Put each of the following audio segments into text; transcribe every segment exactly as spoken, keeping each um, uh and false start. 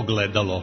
ogledalo.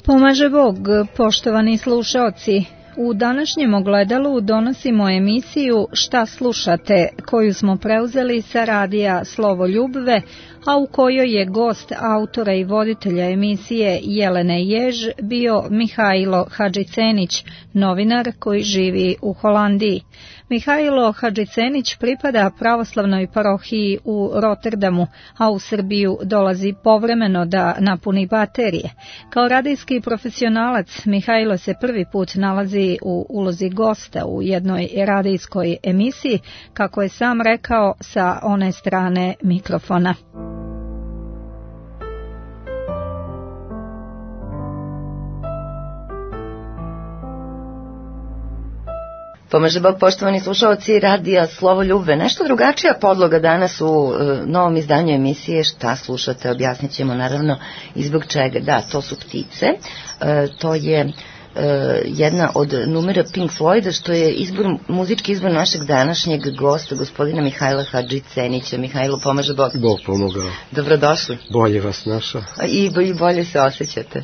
Pomaže Bog, poštovani slušaoci. U današnjem ogledalu donosimo emisiju Šta slušate, koju smo preuzeli sa radija Slovo Ljubve, a u kojoj je gost autora i voditelja emisije Jelene Jež bio Mihajlo Hadžicenić, novinar koji živi u Holandiji. Mihajlo Hadžicenić pripada pravoslavnoj parohiji u Rotterdamu, a u Srbiju dolazi povremeno da napuni baterije. Kao radijski profesionalac, Mihajlo se prvi put nalazi u ulozi gosta u jednoj radijskoj emisiji, kako je sam rekao, sa one strane mikrofona. Pomaže Bog, poštovani slušalci radija Slovo Ljubve. Nešto drugačija podloga danas u e, novom izdanju emisije Šta slušate, objasnit ćemo naravno i zbog čega. Da, to su ptice, e, to je e, jedna od numera Pink Floyda, što je izbor, muzički izbor našeg današnjeg gosta, gospodina Mihajla Hadžicenića. Mihajlo, pomaže Bog. Bog pomogao. Dobrodošli. Bolje vas našao. I, i bolje se osjećate.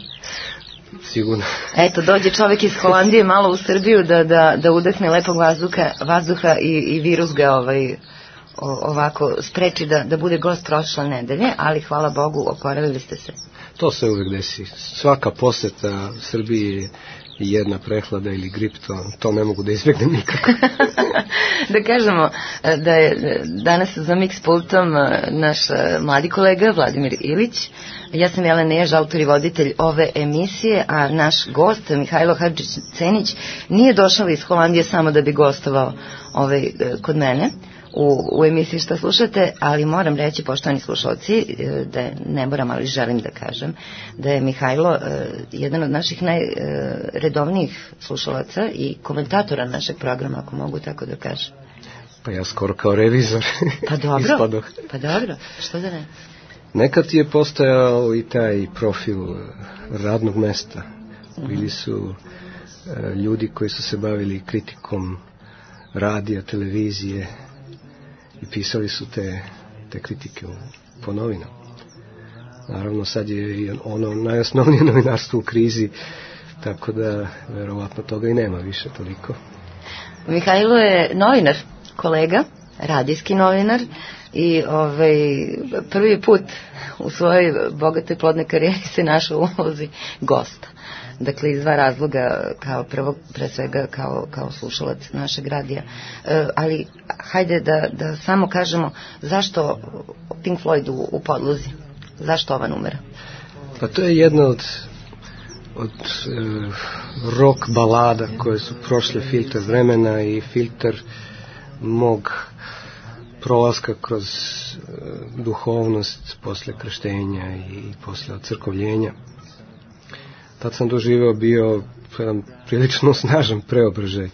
Sigurno. Eto, dođe čovjek iz Holandije malo u Srbiju da, da, da udahne lepog vazduha, vazduha i, i virus ga ovaj, o, ovako spreči da, da bude gost prošle nedelje, ali hvala Bogu, oporavili ste se. To se uvek desi. Svaka poseta Srbiji je jedna prehlada ili grip, to, to ne mogu da izbjegnem nikako. Da kažemo da je danas za mix pultom naš mladi kolega Vladimir Ilić. Ja sam Jelena Jež, autor i voditelj ove emisije, a naš gost Mihajlo Hadžicenić nije došao iz Holandije samo da bi gostovao ovaj, kod mene u, u emisiji Šta slušate, ali moram reći, poštovani slušalci, da ne moram, ali želim da kažem, da je Mihajlo uh, jedan od naših najredovnijih slušalaca i komentatora našeg programa, ako mogu tako da kažem. Pa ja skoro kao revizor. Pa dobro, pa dobro, što da ne? Nekad je postojao i taj profil radnog mesta. Bili su e, ljudi koji su se bavili kritikom radija, televizije i pisali su te, te kritike po novinama. Naravno sad je ono najosnovnije novinarstvo u krizi, tako da verovatno toga i nema više toliko. Mihajlo je novinar, kolega, radijski novinar, i ovaj, prvi put u svojoj bogatoj plodnoj karijeri se našao u ulozi gosta. Dakle, iz dva razloga, kao prvo, pre svega, kao, kao slušalac našeg radija. E, ali, hajde da, da samo kažemo zašto Pink Floyd u, u podlozi? Zašto ova numera? Pa to je jedna od, od e, rock balada koje su prošle filter vremena i filter mog prolaska kroz uh, duhovnost posle krštenja i posle ocrkovljenja. Tad sam doživeo bio jedan prilično snažan preobražaj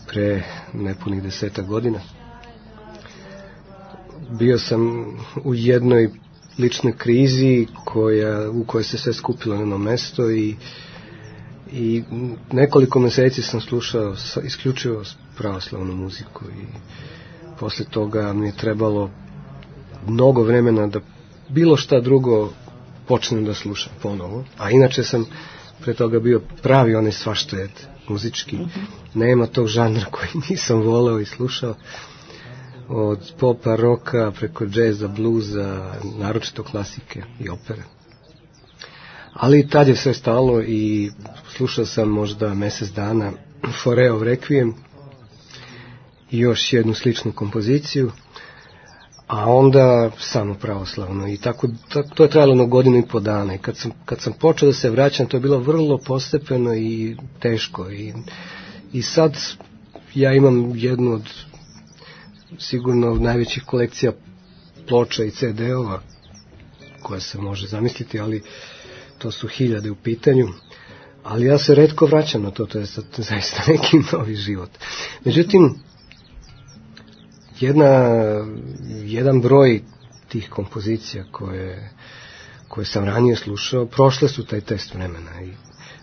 pre nepunih deseta godina. Bio sam u jednoj ličnoj krizi koja, u kojoj se sve skupilo na jedno mesto i, i nekoliko meseci sam slušao isključivo pravoslavnu muziku i posle toga mi je trebalo mnogo vremena da bilo šta drugo počnem da slušam ponovo. A inače sam pre toga bio pravi onaj svaštojed muzički. Mm-hmm. Nema tog žanra koji nisam voleo i slušao. Od popa, roka, preko džeza, bluza, naročito klasike i opere. Ali tad je sve stalo i slušao sam možda mesec dana Foreov Requiem i još jednu sličnu kompoziciju, a onda samo pravoslavno. I tako, tako to je trajalo na godinu i po dana. I kad sam, kad sam počeo da se vraćam, to je bilo vrlo postepeno i teško. I, i sad ja imam jednu od sigurno najvećih kolekcija ploča i ce de ova koja se može zamisliti, ali to su hiljade u pitanju. Ali ja se retko vraćam na to, to je zaista neki novi život. Međutim, jedna, jedan broj tih kompozicija koje, koje sam ranije slušao, prošle su taj test vremena i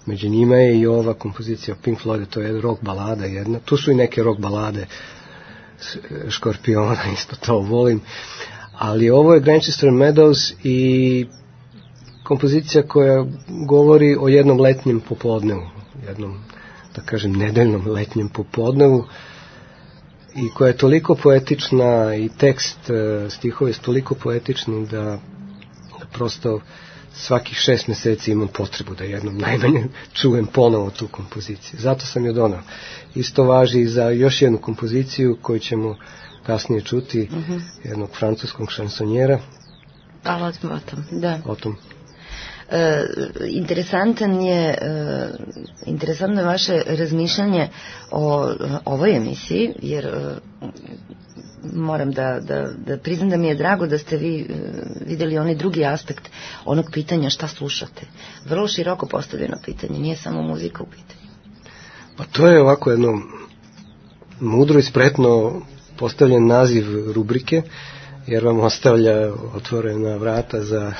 među njima je i ova kompozicija Pink Floyd, to je rock balada jedna, tu su i neke rock balade Škorpiona, isto to volim, ali ovo je Grantchester Meadows i kompozicija koja govori o jednom letnjem popodnevu, jednom, da kažem, nedeljnom letnjem popodnevu i koja je toliko poetična i tekst stihova je toliko poetični da, da prosto svakih šest mjeseci imam potrebu da jednom najmanje čujem ponovo tu kompoziciju. Zato sam je donao. Isto važi i za još jednu kompoziciju koju ćemo kasnije čuti, uh-huh. jednog francuskog šansonjera. Ali o tom, da. O tom. E, interesantan je e, interesantno je vaše razmišljanje o ovoj emisiji, jer e, moram da, da, da priznam da mi je drago da ste vi e, vidjeli onaj drugi aspekt onog pitanja šta slušate. Vrlo široko postavljeno pitanje, nije samo muzika u pitanju. Pa to je ovako jedno mudro i spretno postavljen naziv rubrike, jer vam ostavlja otvorena vrata za...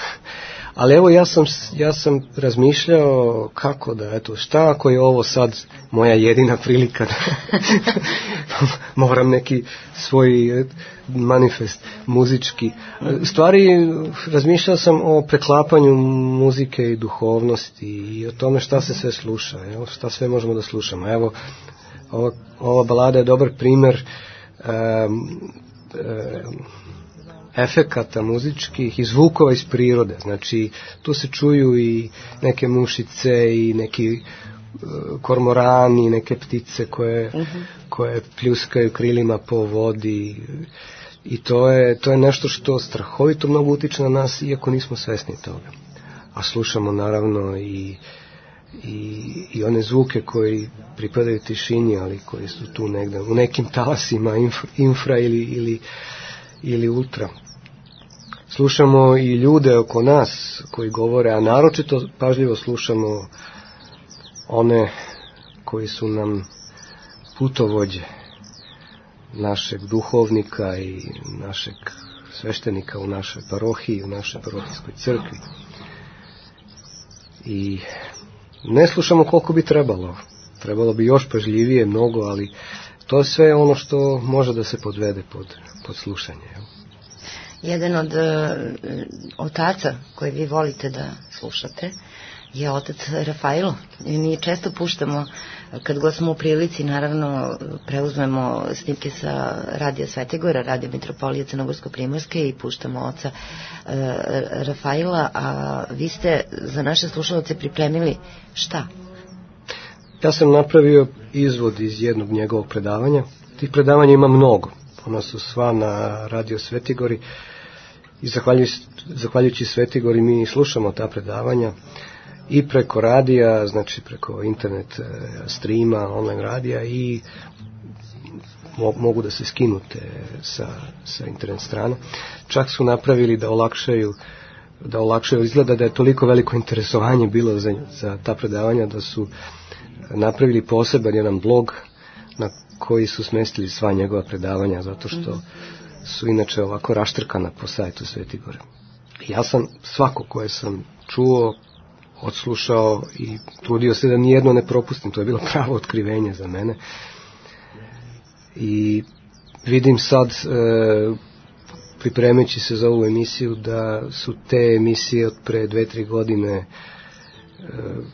Ali evo ja sam, ja sam razmišljao kako da, eto, šta ako je ovo sad moja jedina prilika da moram neki svoj manifest muzički. Stvari, razmišljao sam o preklapanju muzike i duhovnosti i o tome šta se sve sluša, evo, šta sve možemo da slušamo. Evo, ova, ova balada je dobar primjer um, um, efekata muzičkih i zvukova iz prirode. Znači, tu se čuju i neke mušice i neki uh, kormorani, neke ptice koje, uh-huh. koje pljuskaju krilima po vodi i to je, to je nešto što strahovito mnogo utiče na nas, iako nismo svesni toga. A slušamo naravno i, i, i one zvuke koji pripadaju tišini, ali koji su tu negde u nekim talasima infra, infra ili, ili, ili ultra. Slušamo i ljude oko nas koji govore, a naročito pažljivo slušamo one koji su nam putovođe našeg duhovnika i našeg sveštenika u našoj parohiji, u našoj parohijskoj crkvi. I ne slušamo koliko bi trebalo. Trebalo bi još pažljivije mnogo, ali to je sve ono što može da se podvede pod, pod slušanje. Jedan od uh, otaca koje vi volite da slušate je otac Rafailo. I mi često puštamo, kad god smo u prilici, naravno preuzmemo snimke sa Radija Svetigora, Radija Mitropolije Crnogorsko-Primorske i puštamo oca uh, Rafaila, a vi ste za naše slušalce pripremili šta? Ja sam napravio izvod iz jednog njegovog predavanja. Tih predavanja ima mnogo. Ona su sva na Radio Svetigori i zahvaljujući, zahvaljujući Svetigori mi slušamo ta predavanja i preko radija, znači preko internet streama, online radija i mogu da se skinute sa, sa internet strana. Čak su napravili da olakšaju da olakšaju, izgleda da je toliko veliko interesovanje bilo za, za ta predavanja da su napravili poseban jedan blog na koji su smestili sva njegova predavanja, zato što su inače ovako raštrkana po sajtu Svetigora. Ja sam svako koje sam čuo, odslušao i trudio se da nijedno ne propustim, to je bilo pravo otkrivenje za mene. I vidim sad, e, pripremajući se za ovu emisiju, da su te emisije od pre dve, tri godine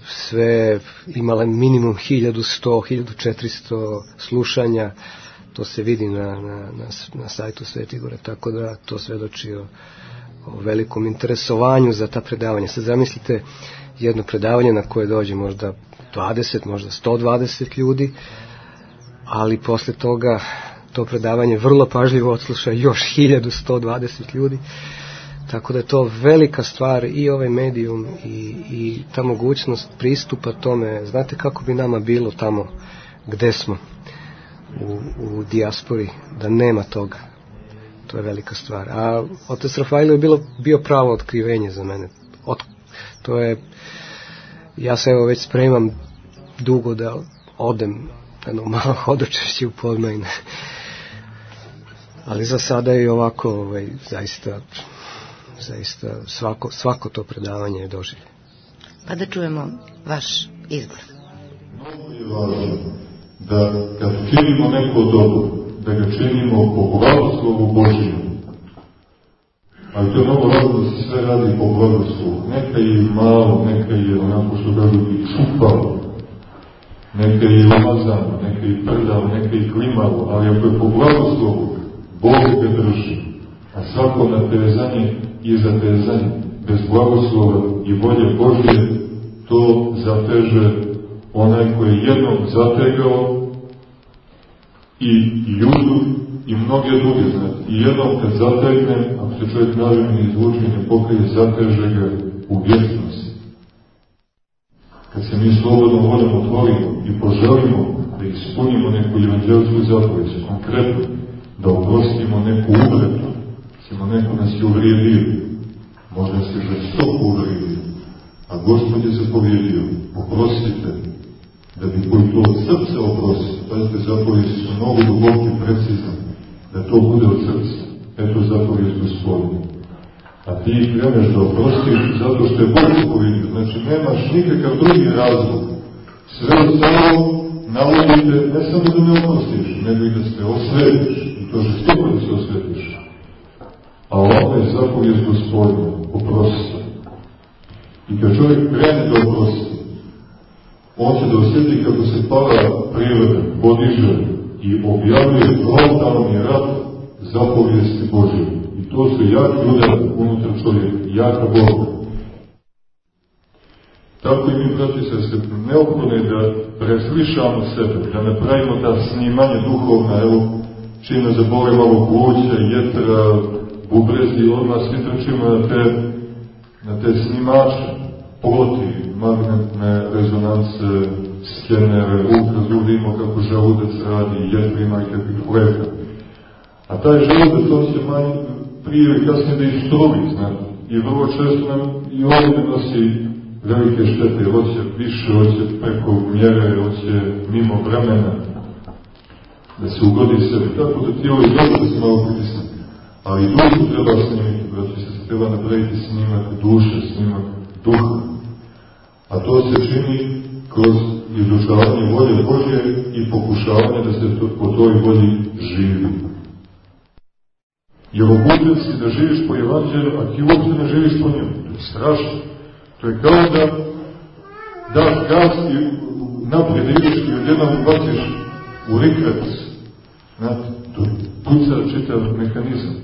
sve imale minimum hiljadu sto, hiljadu četiristo slušanja. To se vidi na, na, na, na sajtu Svetigora, tako da to svedoči o, o velikom interesovanju za ta predavanja. Sad zamislite jedno predavanje na koje dođe možda dvadeset, možda sto dvadeset ljudi, ali posle toga to predavanje vrlo pažljivo odsluša još hiljadu sto dvadeset ljudi. Tako da je to velika stvar i ovaj medijum i, i ta mogućnost pristupa tome. Znate kako bi nama bilo tamo gde smo u, u dijaspori, da nema toga. to je velika stvar. A otac Rafailo je bilo, bio pravo otkrivenje za mene. Od, to je, ja se evo već spremam dugo da odem jedno malo hodočešće u Podmajne. Ali za sada je ovako, ovaj, zaista, zaista svako, svako to predavanje je doživlje. Pa da čujemo vaš izbor. Mnogo je važno da kad činimo neko dobro, da ga činimo po blagoslovu Božiju. Ali to je mnogo važno da se sve radi po blagoslovu. Neka je malo, neka je onako što kažu i čupalo, neka je umazano, neka je prdalo, neka je klimalo, ali ako je po blagoslovu, Bog ga drži. A svako natezanje i zatezanje bez blagoslova i volje Božje, to zateže onaj koji je jednom zategao i judu i mnoge druge, znate. I jednom kad zategne, ako se čovjek nažem i izvuči ne pokrije, zateže ga u vječnosti. Kad se mi slobodno voljom otvorimo i poželimo da ispunimo neku evanđelsku zapovijed, konkretno, da oprostimo neku uvredu, ćemo neko nas je uvrijedio, možda se žestoko uvrijedio, a Gospod je zapovjedio, oprostite, da bi koji to od srca oprosti. Pazite, zapovjedi su mnogo duboki, precizne, da to bude od srca. Eto zapovjed Gospodina. A ti kreneš da oprostiš zato što je Bog zapovjedio. Znači, nemaš nikakav drugi razlog. Sve ostalo navodite ne samo da ne oprostiš, nego i da se osvetiš. I to žestoko da se osvetiš. A ovo je zapovjed Gospodina, oprosti. I kad čovjek krene da oprosti, on će da osjeti kako se pada priroda, podiže i objavljuje frontalni rat zapovijesti Božje. I to su jaki udar unutar čovjeka, jaka borba. Tako i mi, braći se, se neophodno je da preslišamo sebe, da napravimo ta snimanje duhovna, evo, čim ne zabole malo pluća, jetra, bubrezi, odmah svi trčimo na te, na te snimače, ploti, magnetne rezonance, skenere, ultrazvuk, da imamo kako želudac radi, jetrima i kakvih fleka. A taj želudac, on se manj prije ili kasnije da istruvi, znate. I vrlo često nam i ovdje nosi velike štete, hoće više, hoće preko mjere, hoće mimo vremena, da se ugodi sebi. Tako da tijelo je dobro da se malo pritisne. Ali dušu treba snimiti, braći se, treba napraviti snimak duše, snimak duha. A to se čini kroz izučavanje volje Božje i pokušavanje da se to, po toj volji živi. Jer obučen si da živiš po evanđelju, a ti uopšte ne živiš po njemu. To je strašno. To je kao da daš gas i naprijed ideš i odjednom baciš u rikvec. Znate, to puca čitav mehanizam.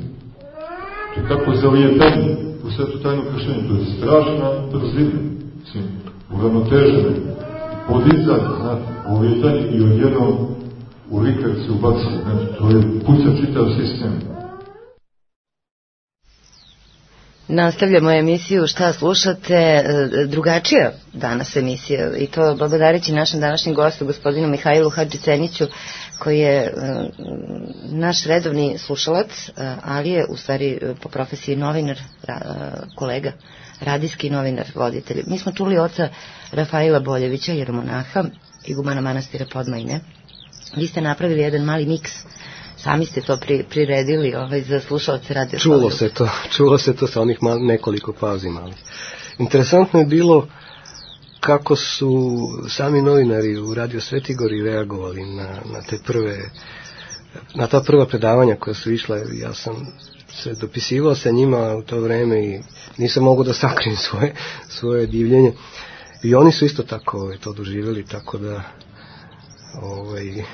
To je tako zalijetanje u svetu tajnu kršenju. To je strašna brzina. Mislim, uravnotežene. Podizanje, znate, zalijetanje i odjednom u rikvec se ubaci. Znači, to je puca čitav sistem. Nastavljamo emisiju Šta slušate, drugačija danas emisija i to благодарeći našem današnjem gostu, gospodinu Mihajlu Hadžiceniću, koji je naš redovni slušalac, ali je u stvari po profesiji novinar, kolega, radijski novinar, voditelj. Mi smo čuli oca Rafaila Boljevića, jeromonaha, igumana manastira Podmajne. Vi ste napravili jedan mali miks. Sami ste to pri, priredili ovaj, za slušalce radio. Čulo se to, čulo se to sa onih mal, nekoliko pauzi malih. Interesantno je bilo kako su sami novinari u Radio Svetigori reagovali na, na te prve, na ta prva predavanja koja su išla. Ja sam se dopisivao sa njima u to vreme i nisam mogao da sakrim svoje, svoje divljenje. I oni su isto tako ovaj, to doživjeli, tako da ovaj,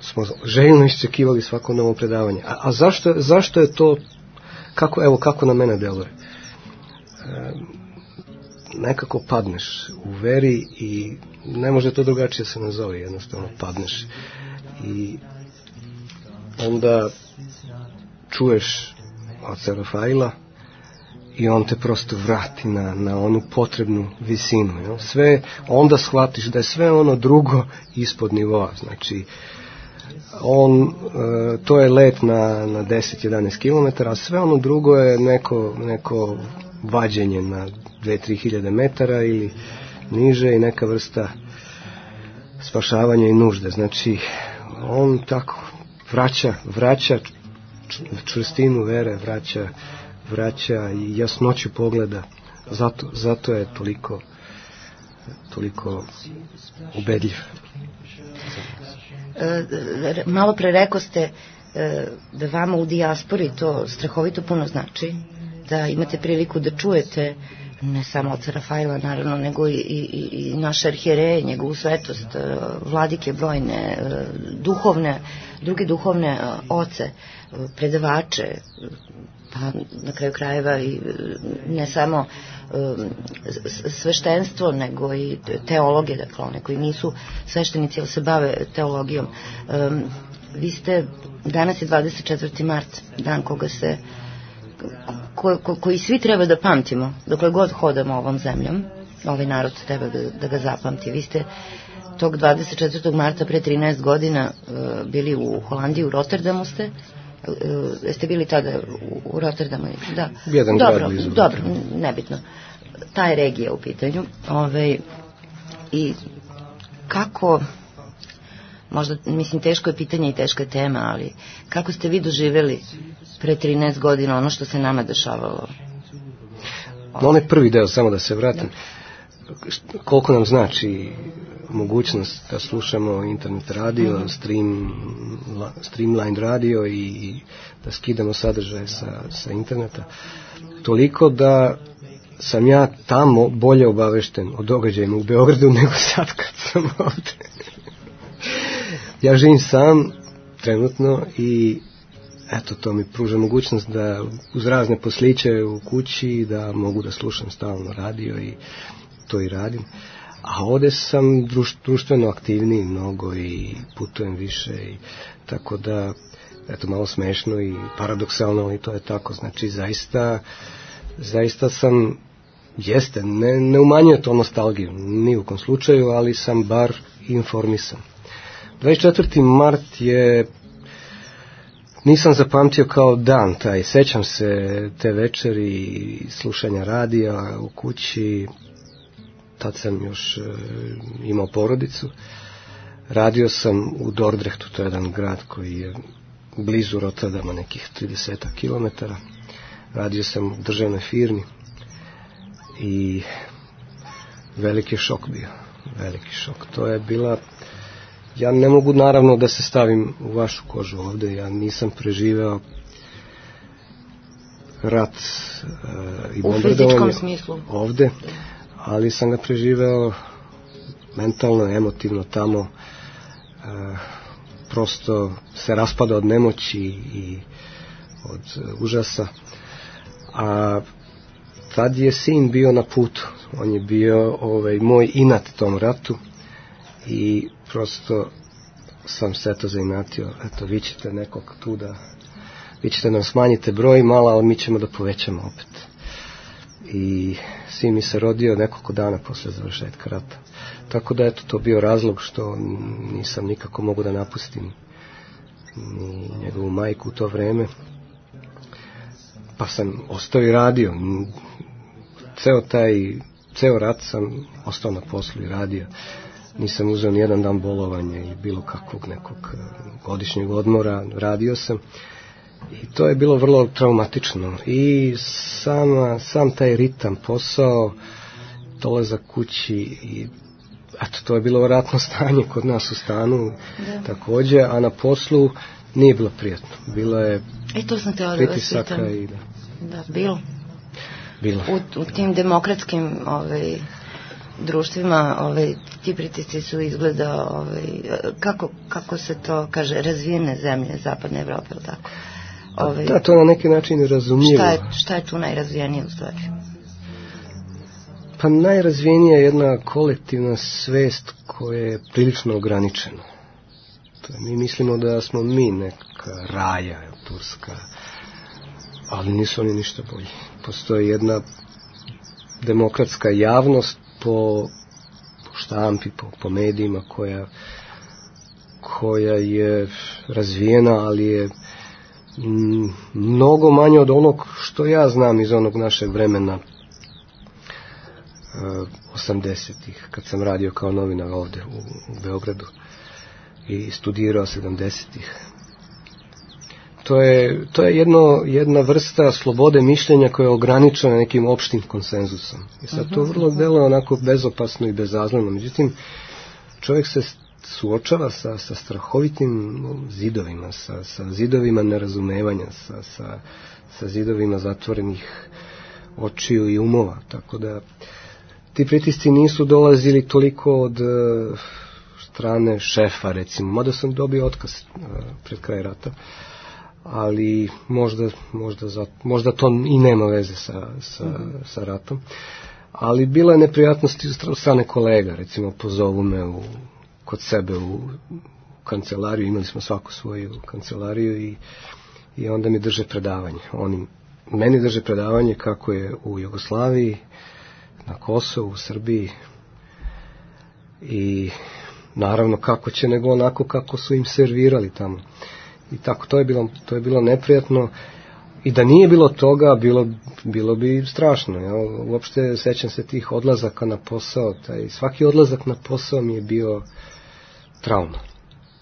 smo željno iščekivali svako novo predavanje. A, a zašto, zašto je to, kako, evo kako na mene deluje? E, nekako padneš u veri i ne može to drugačije se nazove, jednostavno padneš. I onda čuješ oca Rafaila i on te prosto vrati na, na onu potrebnu visinu. Jel? Sve, onda shvatiš da je sve ono drugo ispod nivoa. Znači, On, to je let na, na deset do jedanaest kilometara, a sve ono drugo je neko, neko vađenje na dve do tri hiljade metara ili niže i neka vrsta spašavanja i nužde. Znači, on tako vraća, vraća čvrstinu vere, vraća, vraća i jasnoću pogleda. Zato, zato je toliko, toliko ubedljiv. E, malo pre rekao ste e, da vama u dijaspori to strahovito puno znači, da imate priliku da čujete ne samo oca Rafaela naravno, nego i, i, i naše arhijereje, njegovu svetost, vladike brojne, duhovne, druge duhovne oce, predavače, pa na kraju krajeva i ne samo sveštenstvo, nego i teologe, dakle one koji nisu sveštenici, ali se bave teologijom. Vi ste, danas je dvadeset četvrti mart, dan koga se Ko, ko, koji svi treba da pamtimo dokle god hodamo ovom zemljom, ovaj narod treba da, da ga zapamti. Vi ste tog dvadeset četvrtog marta pre trinaest godina uh, bili u Holandiji, u Rotterdamu ste, uh, jeste bili tada u, u Rotterdamu? Da. Jedan dobro, grad blizu. Dobro, nebitno. Ta je regija u pitanju. Ove, I kako, možda, mislim, teško je pitanje i teška je tema, ali kako ste vi doživjeli pre trinaest godina ono što se nama dešavalo? No, onaj prvi deo, samo da se vratim, da. Koliko nam znači mogućnost da slušamo internet radio, mm-hmm. stream, streamline radio i da skidamo sadržaje sa, sa interneta, toliko da sam ja tamo bolje obavešten o događajima u Beogradu nego sad kad sam ovde. Ja živim sam trenutno i eto, to mi pruža mogućnost da uz razne posliće u kući da mogu da slušam stalno radio i to i radim. A ovde sam druš, društveno aktivniji mnogo i putujem više i tako da, eto, malo smešno i paradoksalno, ali to je tako. Znači, zaista, zaista sam, jeste, ne, ne umanjuje to nostalgiju, ni u kom slučaju, ali sam bar informisan. dvadeset četvrti mart je, nisam zapamtio kao dan taj, sećam se te večeri slušanja radija u kući, tad sam još e, imao porodicu, radio sam u Dordrechtu, to je jedan grad koji je blizu Rotterdama, nekih trideset kilometara, radio sam u državnoj firmi i veliki šok bio, veliki šok, to je bila. Ja ne mogu naravno da se stavim u vašu kožu ovde, ja nisam preživeo rat uh, i bombardovanje ovde, ali sam ga preživeo mentalno, emotivno tamo, uh, prosto se raspada od nemoći i od uh, užasa, a tad je sin bio na putu, on je bio ovaj, moj inat tom ratu i prosto sam se to zainatio, eto, vi ćete nekog tu da, vi ćete nam smanjite broj malo, ali mi ćemo da povećamo opet. I sin mi se rodio nekoliko dana posle završetka rata. Tako da, eto, to bio razlog što nisam nikako mogu da napustim ni njegovu majku u to vreme. Pa sam ostao i radio. Ceo taj, ceo rat sam ostao na poslu i radio. Nisam uzeo ni jedan dan bolovanja ili bilo kakvog nekog godišnjeg odmora, radio sam i to je bilo vrlo traumatično i sama, sam taj ritam, posao, dolazak kući i eto, to je bilo ratno stanje kod nas u stanu, da. Takođe, a na poslu nije bilo prijatno, bilo je e, to sam pritisaka i da. Da, bilo. Bilo. U, u tim demokratskim ovaj, društvima ovaj, ti pritisci su izgleda ovaj, kako, kako se to kaže, razvijene zemlje zapadne Evrope, ili tako? Ovaj, da, to na neki način razumljivo. Šta je, šta je tu najrazvijenije u stvari? Pa najrazvijenija je jedna kolektivna svest koja je prilično ograničena. To je, mi mislimo da smo mi neka raja, turska, ali nisu oni ništa bolji. Postoji jedna demokratska javnost po, po štampi, po, po medijima koja koja je razvijena, ali je m, mnogo manje od onog što ja znam iz onog našeg vremena osamdesetih, kad sam radio kao novinar ovde u, u Beogradu i studirao sedamdesetih. To je, to je jedno, jedna vrsta slobode mišljenja koja je ograničena nekim opštim konsenzusom. I sad to vrlo deluje onako bezopasno i bezazleno. Međutim, čovjek se suočava sa, sa strahovitim zidovima, sa, sa zidovima nerazumevanja, sa, sa, sa zidovima zatvorenih očiju i umova. Tako da ti pritisci nisu dolazili toliko od uh, strane šefa, recimo, mada sam dobio otkaz uh, pred kraj rata, ali možda, možda, za, možda to i nema veze sa, sa, mm-hmm. sa ratom. Ali bila je neprijatnosti od strane kolega, recimo pozovu me u, kod sebe u kancelariju, imali smo svaku svoju kancelariju i, i onda mi drže predavanje. Oni meni drže predavanje kako je u Jugoslaviji, na Kosovu, u Srbiji i naravno kako će nego onako kako su im servirali tamo. I tako, to je bilo, to je bilo neprijatno i da nije bilo toga, bilo, bilo bi strašno. Ja? Uopšte sećam se tih odlazaka na posao, taj, svaki odlazak na posao mi je bio trauma.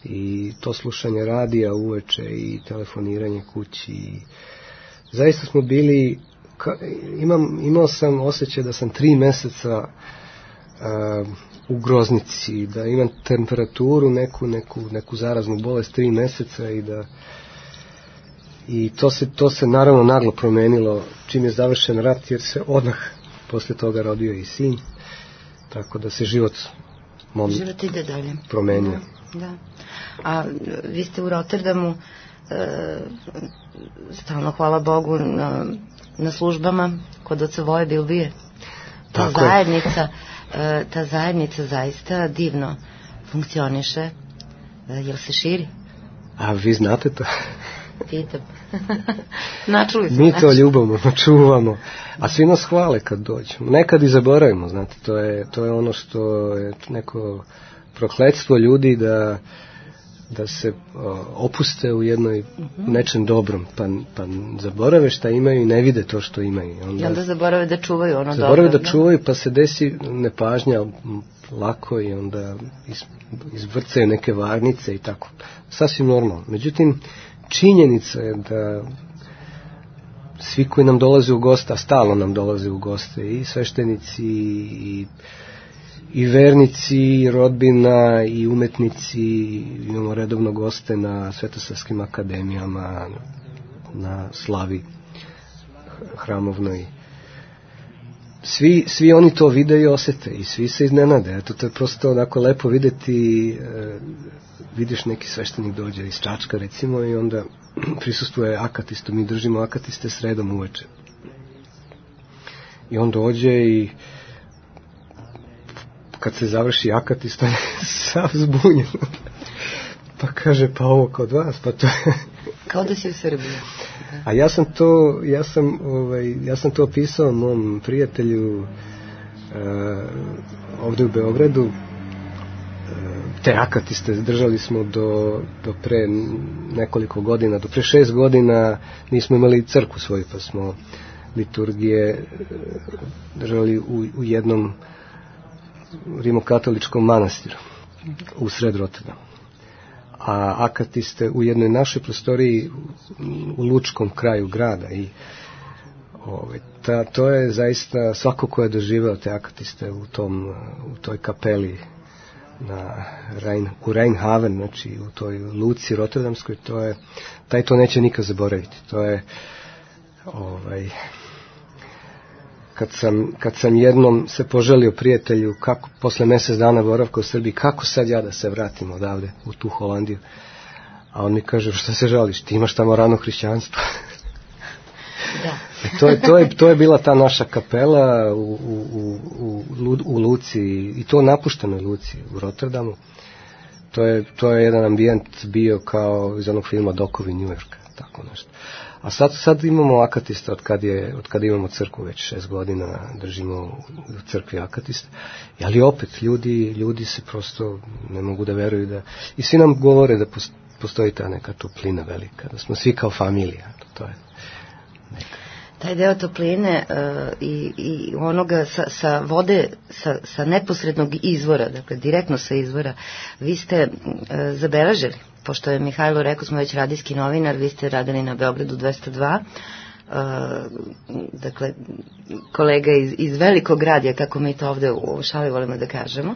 I to slušanje radija uveče i telefoniranje kući. I zaista smo bili, ka, imam, imao sam osjećaj da sam tri meseca uh, u groznici, da imam temperaturu, neku, neku, neku zaraznu bolest tri meseca i da i to se, to se naravno naglo promenilo čim je završen rat, jer se odmah posle toga rodio i sin, tako da se život mom život ide dalje promenio. Da, da. A vi ste u Rotterdamu e, stalno, hvala Bogu, na, na službama kod oca Voje Bilbije. Ta tako zajednica je. Ta zajednica zaista divno funkcioniše. Jel se širi? A vi znate to? Pitam. Načuli smo. Mi to ljubamo, čuvamo. A svi nas hvale kad dođemo. Nekad i zaboravimo, znate. To je, to je ono što je neko prokletstvo ljudi da, da se o, opuste u jednoj uh-huh. nečem dobrom. Pa, pa zaborave šta imaju i ne vide to što imaju. Onda, I onda zaborave da čuvaju ono dobro. Zaborave da, da čuvaju, pa se desi nepažnja lako i onda iz, izvrcaju neke varnice i tako. Sasvim normalno. Međutim, činjenica je da svi koji nam dolaze u goste, a stalno nam dolaze u goste, i sveštenici, i, i vernici, i rodbina, i umetnici, imamo redovno goste na Svetosarskim akademijama, na slavi hramovnoj. Svi, svi oni to vide i osete i svi se iznenade. Eto, to je prosto onako lepo videti, e, vidiš neki sveštenik dođe iz Čačka recimo i onda prisustuje akatistu, mi držimo akatiste sredom uveče. I on dođe i kad se završi akatist, on je sav zbunjen. Pa kaže, pa ovo kod vas, pa to je... Kao da si u Srbiji. A ja sam to, ja sam, ovaj, ja sam to opisao mom prijatelju uh, ovde u Beogradu. Uh, te akatiste držali smo do, do pre nekoliko godina, do pre šest godina nismo imali crkvu svoju, pa smo liturgije držali u, u jednom rimokatoličkom manastiru u sred Rotterdamu. A akatiste u jednoj našoj prostoriji u lučkom kraju grada i ovaj, ta, to je zaista svako ko je doživeo te akatiste u tom, u toj kapeli na Rhein, u Rheinhaven, znači u toj luci rotterdamskoj, to je, taj to neće nikad zaboraviti. To je ovaj, kad sam, kad sam jednom se poželio prijatelju kako posle mjesec dana boravka u Srbiji, kako sad ja da se vratim odavde u tu Holandiju, a on mi kaže, šta se žališ, ti imaš tamo rano hrišćanstvo. Da. E, to, je, to, je, to je bila ta naša kapela u, u, u, u, u Luci, i to napuštenoj Luci u Rotterdamu. To je, to je jedan ambijent bio kao iz onog filma Dokovi New Yorka, tako nešto. A sad, sad imamo akatista od kad, je, od kad imamo crkvu, već šest godina držimo u crkvi akatista. Ali opet, ljudi, ljudi se prosto ne mogu da veruju da... I svi nam govore da postoji ta neka toplina velika, da smo svi kao familija. To je neka... Taj deo topline uh, i, i onoga sa, sa vode, sa, sa neposrednog izvora, dakle direktno sa izvora, vi ste uh, zabeležili, pošto je Mihajlo rekao, smo već radijski novinar, vi ste radili na Beogradu dvesta dva, uh, dakle kolega iz, iz velikog radija, kako mi to ovde u šali volimo da kažemo,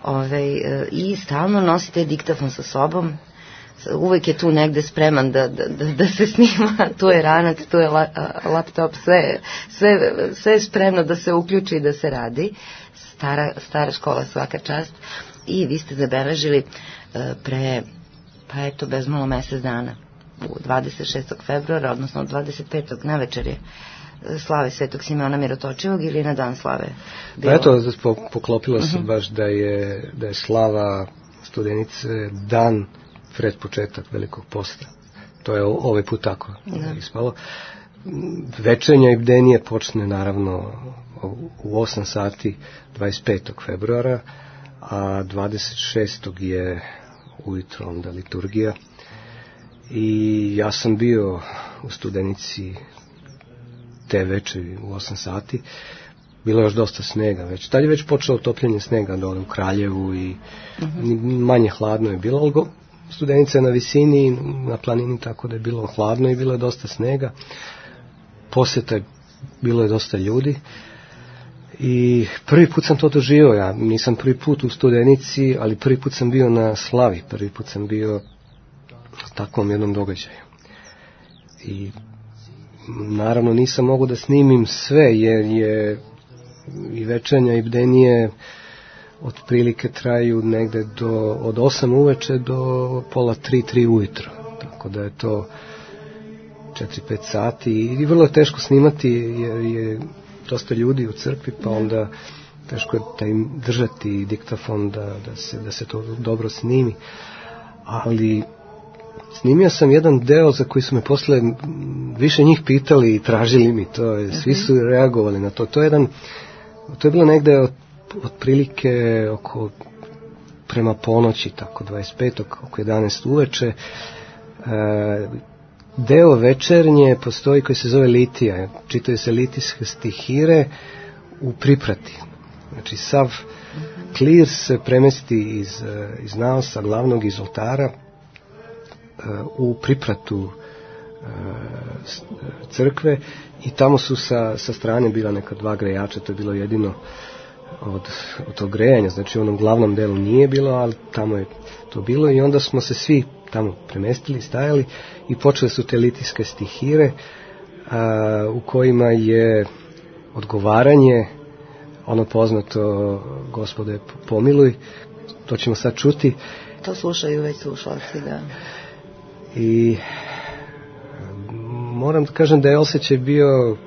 Ove, uh, i stalno nosite diktafon sa sobom, uvek je tu negde spreman da, da, da se snima, tu je ranac, tu je la, laptop, sve, sve, sve je spremno da se uključi i da se radi. Stara, stara škola, svaka čast. I vi ste zabeležili pre, pa eto, bez malo mesec dana, u dvadeset šestog februara, odnosno dvadeset petog na večer je slave Svetog Simeona Mirotočivog ili na dan slave? Bilo... Pa eto, poklopilo se uh-huh. baš da je, da je slava Studenice dan pred početak velikog posta. To je ovaj put tako da. Ispalo. Večernja i bdenije počne naravno u osam sati dvadeset petog februara, a dvadeset šestog je ujutro onda liturgija. I ja sam bio u Studenici te večeri u osam sati. Bilo je još dosta snega već. Tad je već počelo topljenje snega dole u Kraljevu i uh-huh. manje hladno je bilo, ali go, Studenica je na visini, na planini, tako da je bilo hladno i bilo je dosta snega. Poseta je, bilo je dosta ljudi. I prvi put sam to doživio, ja nisam prvi put u Studenici, ali prvi put sam bio na slavi, prvi put sam bio u takvom jednom događaju. I naravno nisam mogu da snimim sve, jer je i večernja i bdenije otprilike traju negde do, od osam uveče do pola tri, tri ujutro. Tako da je to četiri pet sati i vrlo je teško snimati jer je dosta ljudi u crkvi, pa onda teško je da im držati diktafon da, da, se, da se to dobro snimi. Ali snimio sam jedan deo za koji su me posle više njih pitali i tražili mi to. Okay. Svi su reagovali na to. To je jedan, to je bilo negde od otprilike oko prema ponoći, tako dvadeset petog oko jedanaest uveče. E, deo večernje postoji koji se zove litija. Čitaju se litijske stihire u priprati. Znači sav klir se premesti iz, iz naosa glavnog, iz oltara u pripratu crkve i tamo su sa, sa strane bila neka dva grejača, to je bilo jedino od, od tog grejanja, znači u onom glavnom delu nije bilo, ali tamo je to bilo i onda smo se svi tamo premestili, stajali i počele su te litijske stihire a, u kojima je odgovaranje, ono poznato Gospode pomiluj, to ćemo sad čuti. To slušaju već slušalci, da. I moram da kažem da je osjećaj bio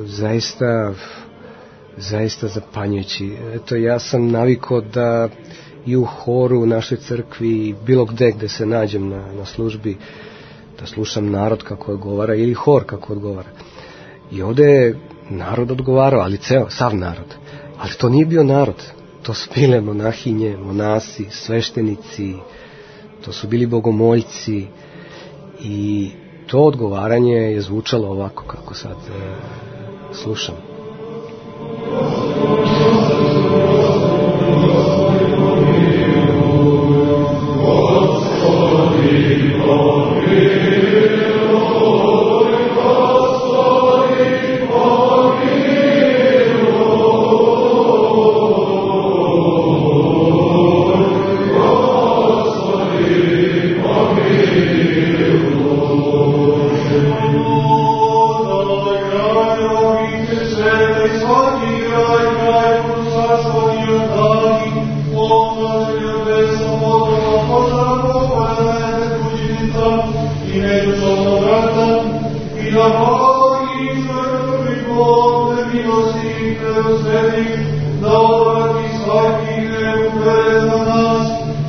zaista zaista zapanjujući. Eto, ja sam navikao da i u horu u našoj crkvi, bilo gde gde se nađem na, na službi, da slušam narod kako odgovara ili hor kako odgovara. I ovde je narod odgovarao, ali ceo, sav narod. Ali to nije bio narod. To su bile monahinje, monasi, sveštenici, to su bili bogomoljci i to odgovaranje je zvučalo ovako kako sad e, slušam.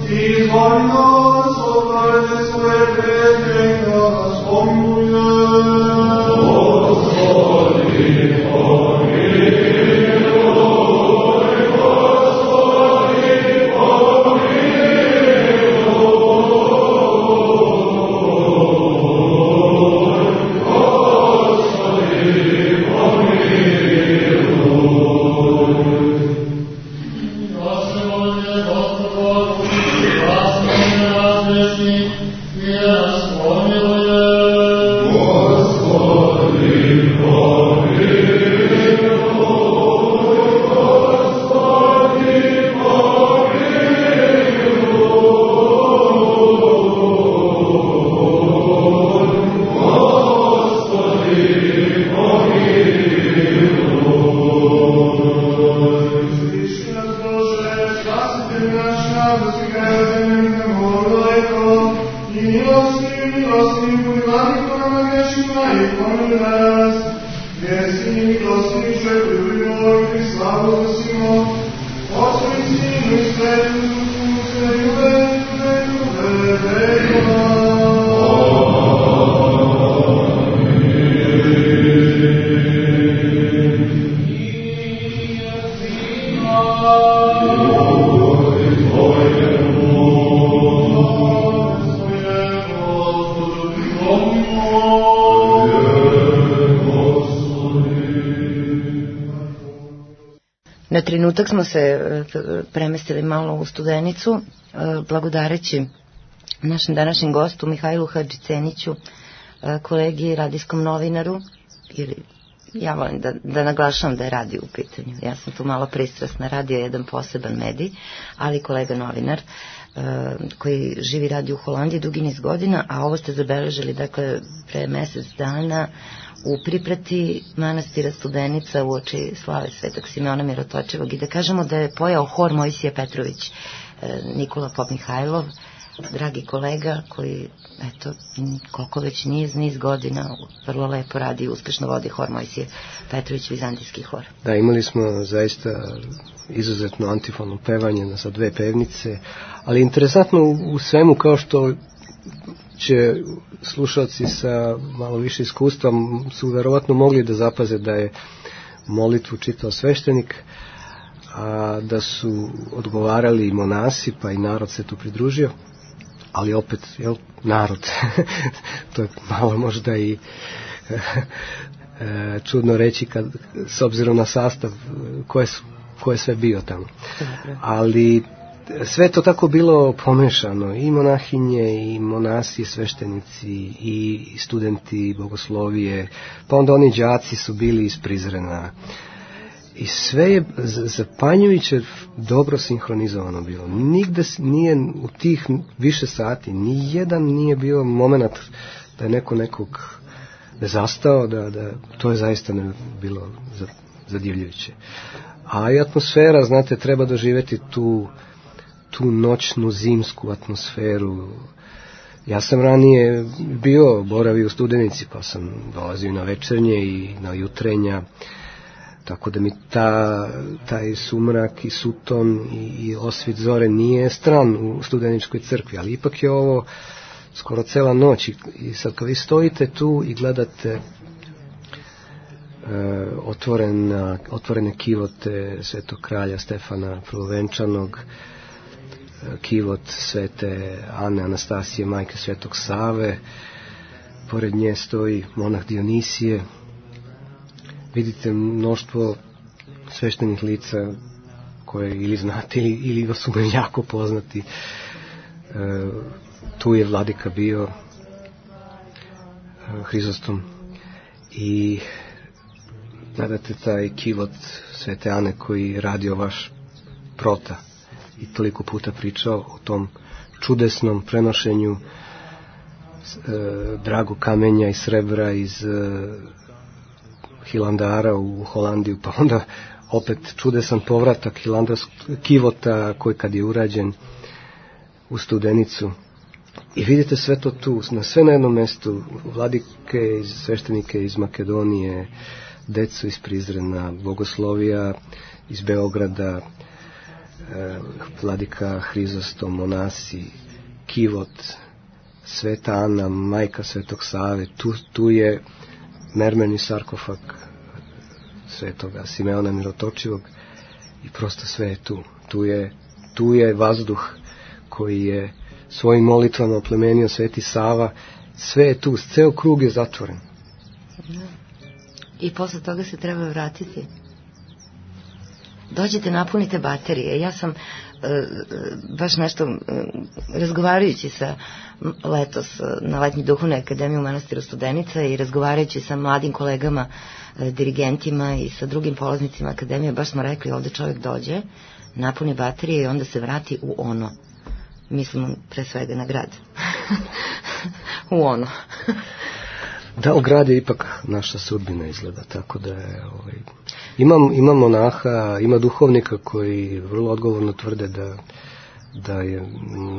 Izvoli nas, obrade svoje predmeta, Na trenutak smo se premestili malo u Studenicu, blagodareći našem današnjem gostu Mihajlu Hadžiceniću, kolegi radijskom novinaru, ili ja volim da, da naglašavam da je radio u pitanju. Ja sam tu malo pristrasna, radio je jedan poseban medij, ali kolega novinar koji živi radi u Holandiji dugi niz godina, a ovo ste zabeležili, dakle, pre mesec dana u priprati manastira Studenica u oči slave Svetog Simeona Mirotočevog, i da kažemo da je pojao hor Mojsije Petrović, Nikola Pop Mihajlov, dragi kolega koji, eto, koliko već niz, niz godina vrlo lepo radi i uspešno vodi hor Mojsije Petrović, vizantijski hor. Da, imali smo zaista izuzetno antifonno pevanje sa dve pevnice, ali interesantno u svemu, kao što će slušalci sa malo više iskustva su verovatno mogli da zapaze da je molitvu čitao sveštenik, a da su odgovarali i monasi, pa i narod se tu pridružio, ali opet, jel, narod, to je malo možda i čudno reći kad, s obzirom na sastav ko je, ko je sve bio tamo. Ali sve to tako bilo pomešano, i monahinje, i monasi, i sveštenici, i studenti bogoslovije, pa onda oni đaci su bili iz Prizrena. I sve je zapanjujuće dobro sinhronizovano bilo. Nigde nije u tih više sati, ni jedan nije bio moment da je neko nekog ne zastao, da, da to je zaista ne bilo zadivljujuće. A i atmosfera, znate, treba doživjeti tu tu noćnu zimsku atmosferu. Ja sam ranije bio, boravio u Studenici, pa sam dolazio na večernje i na jutrenja, tako da mi ta, taj sumrak i suton i, i osvit zore nije stran u Studeničkoj crkvi, ali ipak je ovo skoro cela noć, i, i sad kad vi stojite tu i gledate e, otvorena, otvorene kivote Svetog kralja Stefana Prvovenčanog, kivot Svete Ane Anastasije, majke Svetog Save, pored nje stoji monah Dionisije, vidite mnoštvo sveštenih lica koje ili znate ili, ili vas su jako poznati. E, tu je vladika bio, e, Hrizostom, i gledate taj kivot Svete Ane koji je radio vaš prota i toliko puta pričao o tom čudesnom prenošenju e, dragog kamenja i srebra iz e, Hilandara u Holandiju, pa onda opet čudesan povratak hilandarskog kivota koji kad je urađen u Studenicu. I vidite sve to tu, na sve na jednom mestu, vladike i sveštenike iz Makedonije, decu iz Prizrena, bogoslovija iz Beograda, vladika Hrizostom, monasi, kivot, Sveta Ana, majka Svetog Save, tu, tu je mermerni sarkofag Svetoga Simeona Mirotočivog i prosto sve je tu. Tu je, tu je vazduh koji je svojim molitvama oplemenio Sveti Sava, sve je tu, ceo krug je zatvoren. I posle toga se treba vratiti. Dođete, napunite baterije. Ja sam e, baš nešto e, razgovarajući sa letos na letnji duhovnoj akademiji u manastiru Studenica i razgovarajući sa mladim kolegama, e, dirigentima i sa drugim polaznicima akademije, baš smo rekli, ovde čovjek dođe, napuni baterije i onda se vrati u ono. Mislim pre svega na grad. U ono. Da, u grad je ipak naša sudbina izgleda, tako da je, ovaj, imam, ima monaha, ima duhovnika koji vrlo odgovorno tvrde da, da je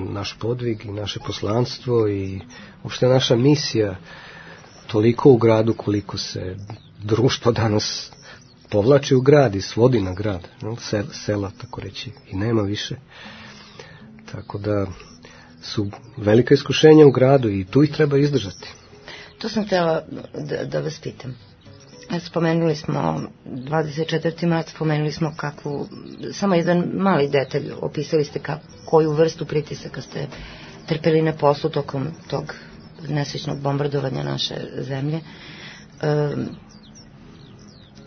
naš podvig i naše poslanstvo i uopšte naša misija toliko u gradu koliko se društvo danas povlači u grad i svodi na grad, no, sel, sela tako reći, i nema više. Tako da su velika iskušenja u gradu i tu ih treba izdržati. To sam htjela da, da vas pitam. Spomenuli smo dvadeset četvrti mart, spomenuli smo kakvu, samo jedan mali detalj, opisali ste kako, koju vrstu pritisaka ste trpeli na poslu tokom tog nesrećnog bombardovanja naše zemlje. E,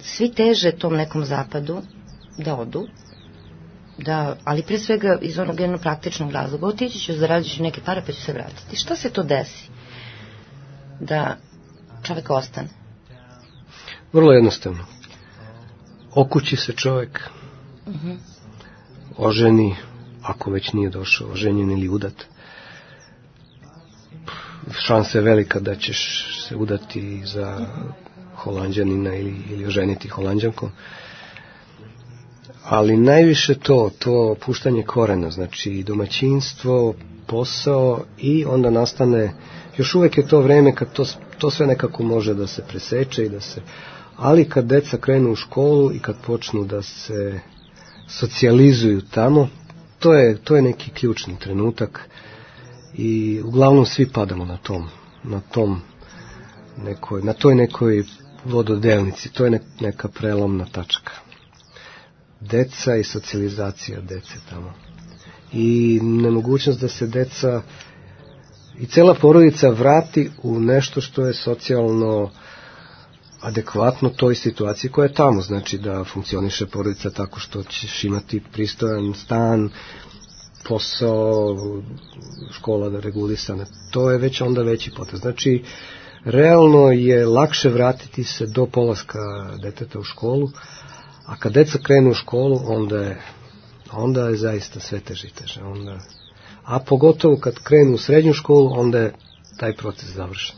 svi teže tom nekom zapadu da odu, da, ali pre svega iz onog jednog praktičnog razloga, otići ću, zaradit ću neke pare pa ću se vratiti. Šta se to desi da čovjek ostane? Vrlo jednostavno. Okući se čovjek, uh-huh. oženi, ako već nije došao, oženjen ili udat. Šansa je velika da ćeš se udati za Holanđanina ili, ili oženiti Holanđankom. Ali najviše to, to puštanje korena, znači domaćinstvo, posao i onda nastane, još uvijek je to vreme kad to, to sve nekako može da se preseče i da se, ali kad deca krenu u školu i kad počnu da se socijalizuju tamo, to je, to je neki ključni trenutak i uglavnom svi padamo na tom, na tom nekoj, na toj nekoj vododelnici, to je ne, neka prelomna tačka. Deca i socijalizacija dece tamo. I nemogućnost da se deca i cela porodica vrati u nešto što je socijalno adekvatno toj situaciji koja je tamo. Znači da funkcioniše porodica tako što ćeš imati pristojan stan, posao, škola da regulisane. To je već onda veći potez. Znači, realno je lakše vratiti se do polaska deteta u školu, a kad deca krenu u školu, onda je, onda je zaista sve teže i teže. Onda, a pogotovo kad krenu u srednju školu, onda je taj proces završen.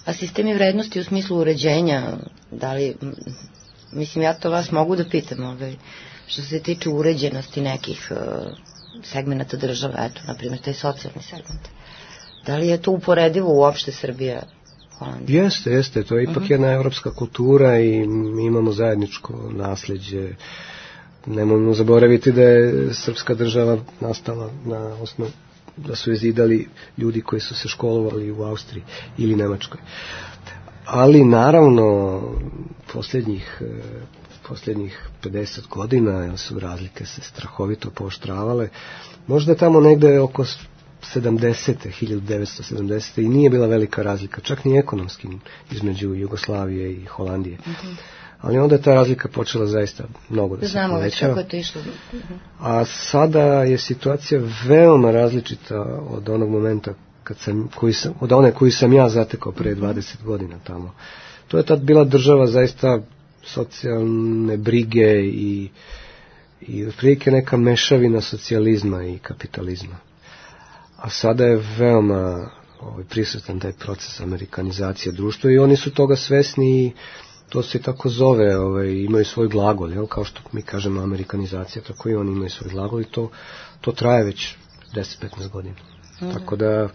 A sistemi vrednosti u smislu uređenja, da li, mislim, ja to vas mogu da pitam, ovaj, što se tiče uređenosti nekih uh, segmenta države, eto, na primjer, taj socijalni segment. Da li je to uporedivo uopšte Srbija? Holandija? Jeste, jeste, to je ipak uh-huh. jedna evropska kultura i mi imamo zajedničko nasljeđe. Nemojmo zaboraviti da je srpska država nastala na osnovu, da su je zidali ljudi koji su se školovali u Austriji ili Nemačkoj. Ali naravno posljednjih, posljednjih pedeset godina su razlike se strahovito pooštravale. Možda je tamo negde oko sedamdesete, hiljadu devetsto sedamdesete i nije bila velika razlika, čak ni ekonomski, između Jugoslavije i Holandije. Uh-huh. Ali onda je ta razlika počela zaista mnogo da se povećava. Znamo već kako je to išlo. Uh-huh. A sada je situacija veoma različita od onog momenta kad sam, koji sam, od one koju sam ja zatekao pre dvadeset godina tamo. To je tad bila država zaista socijalne brige i, i otprilike neka mešavina socijalizma i kapitalizma. A sada je veoma ovaj, prisutan taj proces amerikanizacije društva i oni su toga svesni i to se tako zove, ovaj, imaju svoj glagol, jel? Kao što mi kažemo amerikanizacija, tako i oni imaju svoj glagol i to, to traje već deset do petnaest godina. Mm. Tako da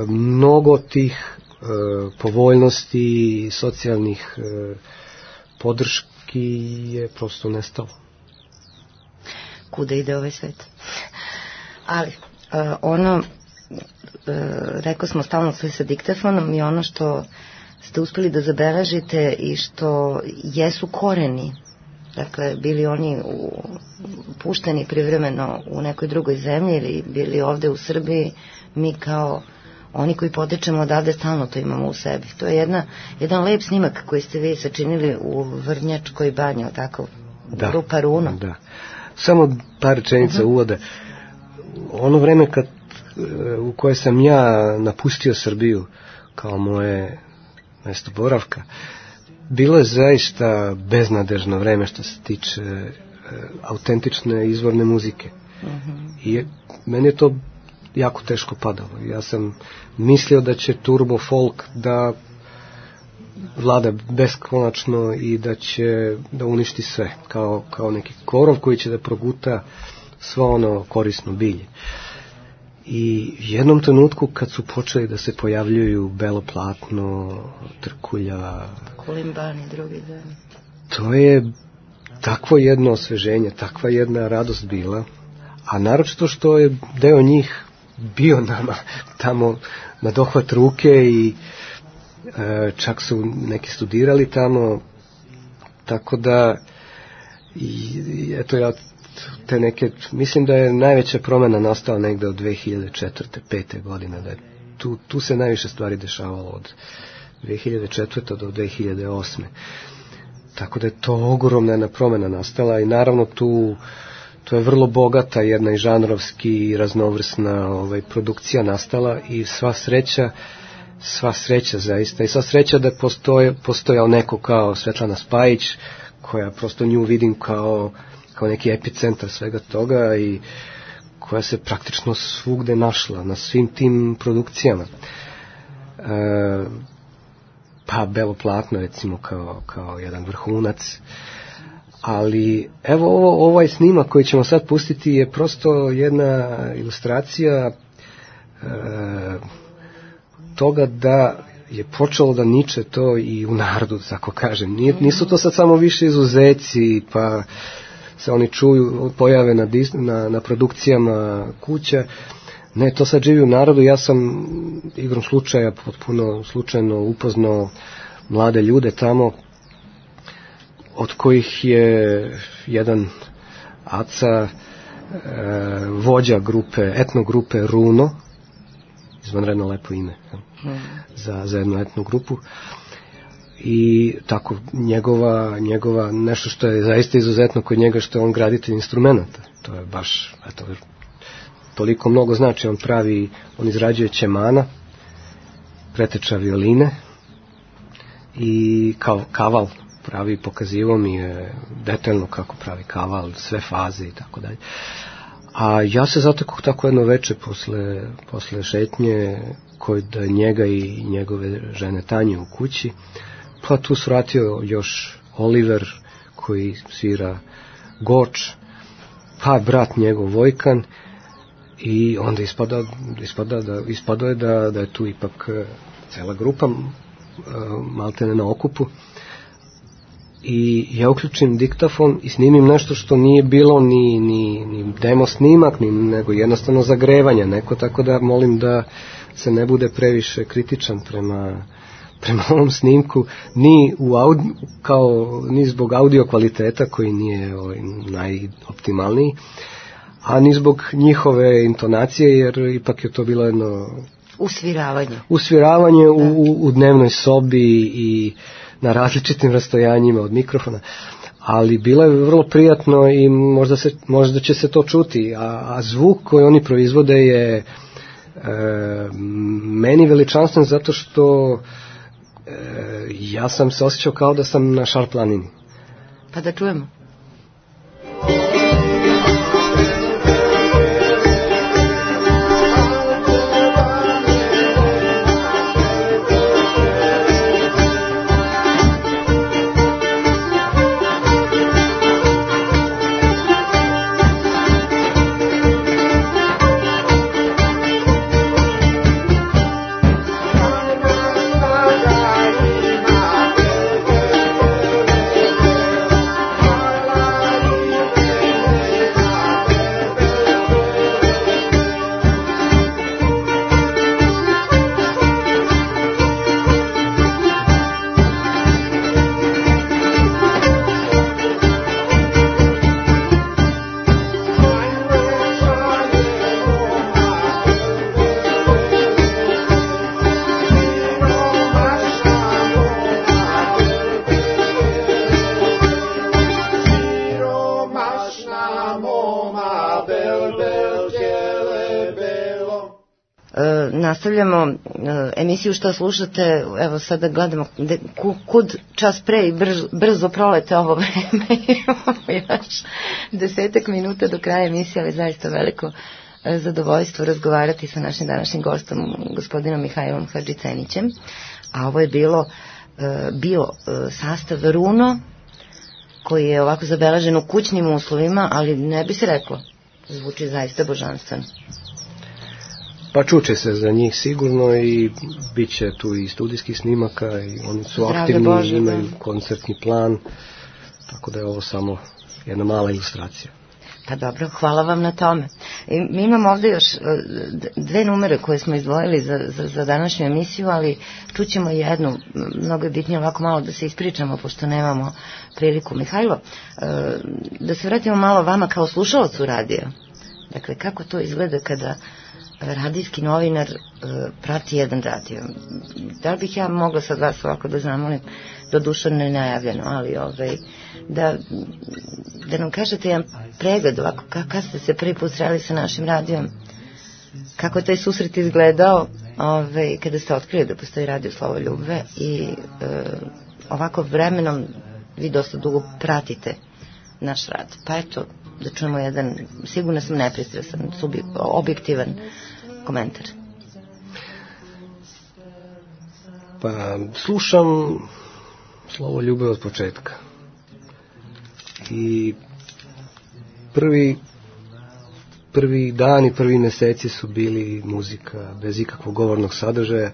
mnogo tih e, povoljnosti i socijalnih e, podrški je prosto nestalo. Kuda ide ovaj svet? Ali Uh, ono rekao smo stalno sve sa diktafonom i ono što ste uspeli da zabeležite i što jesu koreni, dakle bili oni u, pušteni privremeno u nekoj drugoj zemlji ili bili ovde u Srbiji, mi kao oni koji potičemo odavde stalno to imamo u sebi. To je jedna, jedan lep snimak koji ste vi sačinili u Vrnjačkoj banji, tako? Da, grupa Runo. Da. Samo par rečenica uh-huh. uvoda. Ono vreme kad, u koje sam ja napustio Srbiju kao moje mesto boravka, bilo je zaista beznadežno vreme što se tiče e, autentične izvorne muzike. Uh-huh. I meni je to jako teško padalo. Ja sam mislio da će turbo folk da vlada beskonačno i da će da uništi sve, kao, kao neki korov koji će da proguta svo ono korisno bilje. I jednom trenutku kad su počeli da se pojavljuju Belo platno, Trkulja, Kulimban i drugi, da. To je takvo jedno osveženje, takva jedna radost bila, a naročito što je deo njih bio nama tamo na dohvat ruke i e, čak su neki studirali tamo, tako da i, i eto ja te neke, mislim da je najveća promena nastala negde od dve hiljade četvrte pete godine, da je tu, tu se najviše stvari dešavalo od dve hiljade četvrte do dve hiljade osme. Tako da je to ogromna jedna promena nastala i naravno tu to je vrlo bogata jedna i žanrovski i raznovrsna ovaj, produkcija nastala i sva sreća, sva sreća zaista i sva sreća da postoje, postojao neko kao Svetlana Spajić, koja prosto nju vidim kao, kao neki epicentar svega toga i koja se praktično svugde našla na svim tim produkcijama. E, pa Belo platno recimo kao, kao jedan vrhunac. Ali evo ovo, ovaj snimak koji ćemo sad pustiti je prosto jedna ilustracija e, toga da je počelo da niče to i u narodu, tako kažem. Nije, nisu to sad samo više izuzeci, pa se oni čuju, pojave na, na, na produkcijama kuća. Ne, to sad živi u narodu. Ja sam igrom slučaja, potpuno slučajno upoznao mlade ljude tamo, od kojih je jedan Aca e, vođa grupe, etno grupe Runo, izvanredno lepo ime mm. za, za jednu etnu grupu, i tako njegova, njegova nešto što je zaista izuzetno kod njega, što je on graditelj instrumenta. To je baš, eto, toliko mnogo znači. On pravi, on izrađuje ćemana, preteča violine i kao kaval pravi, pokazivo mi je detaljno kako pravi kaval, sve faze i tako dalje. A ja se zatekao tako jedno veče posle, posle šetnje kod njega i njegove žene Tanje u kući, pa tu svratio još Oliver koji svira goč, pa brat njegov Vojkan, i onda ispada, ispada da, ispada je da, da je tu ipak cela grupa maltene na okupu. I ja uključim diktafon i snimim nešto što nije bilo ni, ni, ni demo snimak, ni, nego jednostavno zagrevanje neko, tako da molim da se ne bude previše kritičan prema, prema ovom snimku, ni, u audi, kao, ni zbog audio kvaliteta koji nije ovaj, najoptimalniji, a ni zbog njihove intonacije, jer ipak je to bilo jedno usviravanje, usviravanje u, u, u dnevnoj sobi i na različitim rastojanjima od mikrofona, ali bilo je vrlo prijatno i možda, se, možda će se to čuti, a, a zvuk koji oni proizvode je e, meni veličanstven zato što e, ja sam se osjećao kao da sam na Šar planini. Pa da čujemo. Bye. E, nastavljamo e, emisiju Šta slušate. Evo sada gledamo de, ku, kud čas pre i brz, brzo prolete ovo vreme. Imamo još desetak minuta do kraja emisije, ali zaista veliko e, zadovoljstvo razgovarati sa našim današnjim gostom, gospodinom Mihajlom Hadžicenićem. A ovo je bilo e, bio e, sastav Runo, koji je ovako zabeležen u kućnim uslovima, ali ne bi se reklo, zvuči zaista božanstveno. Pa čuče se za njih sigurno i bit će tu i studijskih snimaka i oni su Zdravlje aktivni, Bože, imaju da. koncertni plan, tako da je ovo samo jedna mala ilustracija. Pa dobro, hvala vam na tome. I mi imamo ovde još dve numere koje smo izdvojili za, za, za današnju emisiju, ali čućemo jednu, mnogo je bitnije ovako malo da se ispričamo, pošto nemamo priliku. Mihajlo, da se vratimo malo vama kao slušalcu radija. Dakle, kako to izgleda kada radijski novinar uh, prati jedan radio? Da li bih ja mogla sad vas ovako da zamolim, doduše ne najavljeno, ali ovaj, da, da nam kažete jedan pregled ovako, kada ste se prvi put sreli sa našim radijom, kako je taj susret izgledao ovaj, kada ste otkrili da postoji radio Slovo Ljubve i uh, ovako vremenom vi dosta dugo pratite naš rad. Pa eto, da čujemo jedan, sigurno sam nepristrasan, objektivan komentar. Pa slušam Slovo Ljubve od početka. I prvi prvi dani, prvi meseci su bili muzika bez ikakvog govornog sadržaja.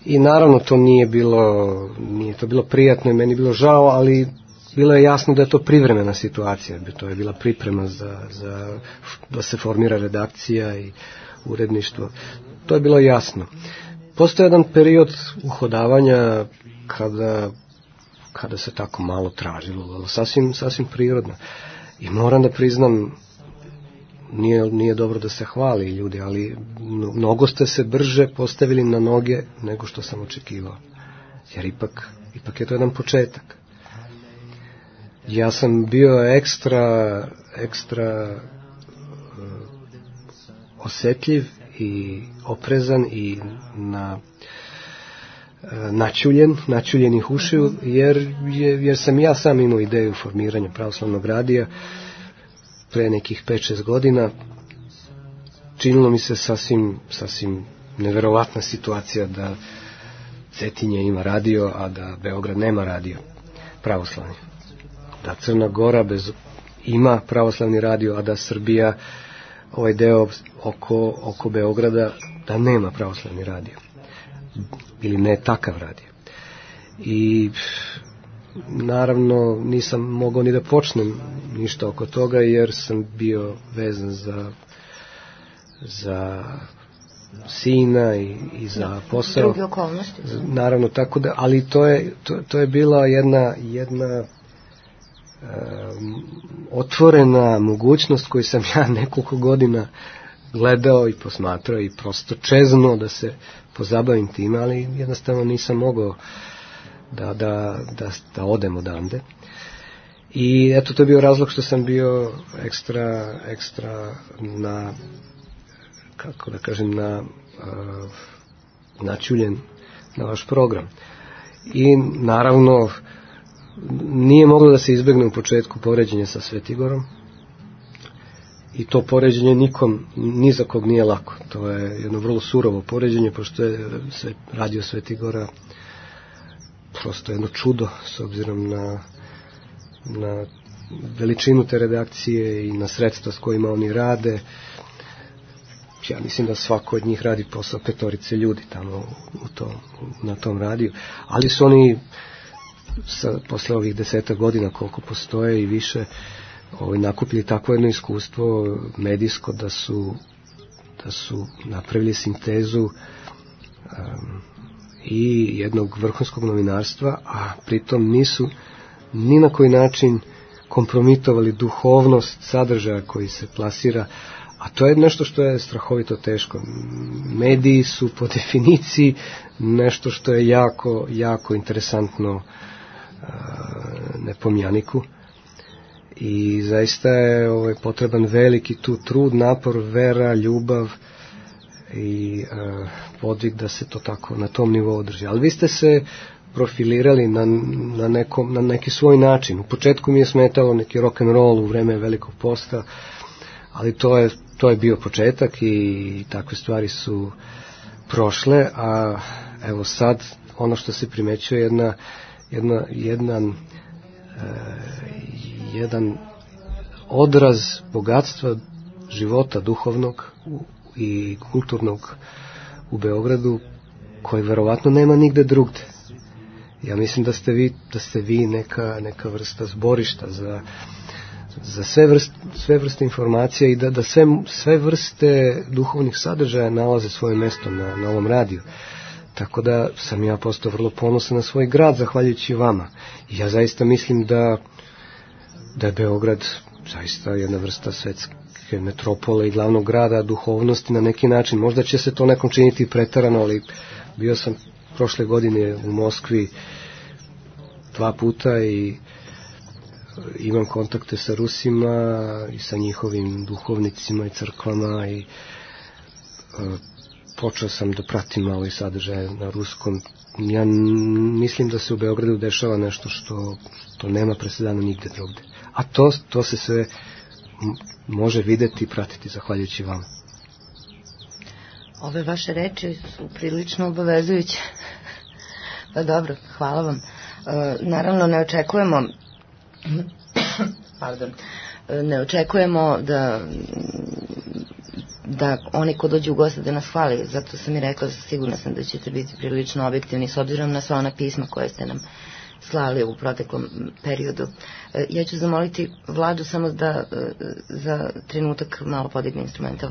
I naravno to nije bilo nije to bilo prijatno i meni bilo žao, ali bilo je jasno da je to privremena situacija, to je bila priprema za, za da se formira redakcija i uredništvo. To je bilo jasno. Postoje jedan period uhodavanja kada, kada se tako malo tražilo, ali sasvim, sasvim prirodno. I moram da priznam, nije, nije dobro da se hvali ljudi, ali mnogo ste se brže postavili na noge nego što sam očekivao. Jer ipak, ipak je to jedan početak. Ja sam bio ekstra, ekstra uh, osjetljiv i oprezan i na, uh, načuljen, načuljenih ušiju, jer, jer, jer sam ja sam imao ideju formiranja pravoslavnog radija pre nekih pet šest godina. Činilo mi se sasvim, sasvim neverovatna situacija da Cetinje ima radio, a da Beograd nema radio pravoslavni. Da Crna Gora bez, ima pravoslavni radio, a da Srbija, ovaj deo oko, oko Beograda, da nema pravoslavni radio. Ili ne takav radio. I naravno nisam mogao ni da počnem ništa oko toga, jer sam bio vezan za, za sina i, i za posao. Drugi okolnosti. Naravno, tako da, ali to je, to, to je bila jedna, jedna Um, otvorena mogućnost koju sam ja nekoliko godina gledao i posmatrao i prosto čeznuo da se pozabavim tim, ali jednostavno nisam mogao da, da, da, da odem odande. I eto, to je bio razlog što sam bio ekstra, ekstra na, kako da kažem, na uh, načuljen na vaš program. I naravno nije moglo da se izbegne u početku poređenje sa Svetigorom, i to poređenje nikom, ni za kog nije lako. To je jedno vrlo surovo poređenje, pošto je radio Svetigora prosto jedno čudo s obzirom na, na veličinu te redakcije i na sredstva s kojima oni rade. Ja mislim da svako od njih radi posao petorice ljudi tamo u to, na tom radiju, ali su oni sa, posle ovih deseta godina koliko postoje i više, ovaj, nakupili takvo jedno iskustvo medijsko da su, da su napravili sintezu um, i jednog vrhunskog novinarstva, a pritom nisu ni na koji način kompromitovali duhovnost sadržaja koji se plasira, a to je nešto što je strahovito teško. Mediji su po definiciji nešto što je jako, jako interesantno uh, nepomjaniku. i zaista je ovaj, potreban veliki tu trud, napor, vera, ljubav i uh, podvig da se to tako na tom nivou održi. Ali vi ste se profilirali na, na, nekom, na neki svoj način. U početku mi je smetalo neki rock and roll u vreme Velikog posta, ali to je, to je bio početak i takve stvari su prošle, a evo sad ono što se primećuje jedna, jedna, jedan, e, jedan odraz bogatstva života duhovnog i kulturnog u Beogradu koji verovatno nema nigde drugde. Ja mislim da ste vi, da ste vi neka, neka vrsta zborišta za, za sve, vrst, sve vrste informacija i da, da sve, sve vrste duhovnih sadržaja nalaze svoje mesto na, na ovom radiju. Tako da sam ja postao vrlo ponosan na svoj grad zahvaljujući vama. I ja zaista mislim da, da je Beograd zaista jedna vrsta svetske metropole i glavnog grada duhovnosti na neki način. Možda će se to nekom činiti preterano, ali bio sam prošle godine u Moskvi dva puta i imam kontakte sa Rusima i sa njihovim duhovnicima i crkvama i uh, počeo sam da pratim malo i sadržaje na ruskom. Ja mislim da se u Beogradu dešava nešto što, što nema presedana nigde drugde. A to, to se sve može videti i pratiti zahvaljujući vama. Ove vaše reči su prilično obavezujuće. Pa dobro, hvala vam. E, naravno ne očekujemo pardon, ne očekujemo da da oni ko dođu u goste da nas hvali, zato sam i rekla, sigurna sam da ćete biti prilično objektivni s obzirom na sva ona pisma koje ste nam slali u proteklom periodu. E, ja ću zamoliti Vladu samo da e, za trenutak malo podigne instrumental.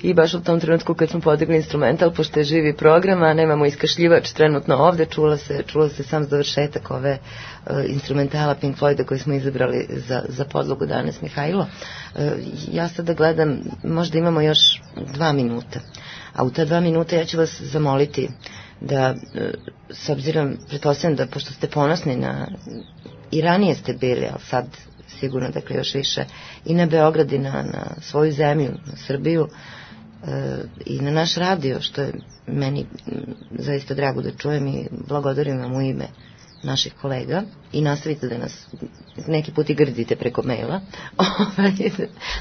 I baš u tom trenutku kad smo podigli instrumental, pošto je živi program, a nemamo iskašljivač trenutno ovde, čula se, čula se sam završetak ove uh, instrumentala Pink Floyda koji smo izabrali za, za podlogu danas, Mihajlo. Uh, ja sada gledam, možda imamo još dva minuta, a u ta dva minuta ja ću vas zamoliti da, uh, s obzirom, pretpostavljam da, pošto ste ponosni na, i ranije ste bili, ali sad sigurno, dakle, još više, i na Beograd i na, na svoju zemlju, na Srbiju, i na naš radio, što je meni zaista drago da čujem i blagodarim vam u ime naših kolega i nastavite da nas neki put i grdite preko maila,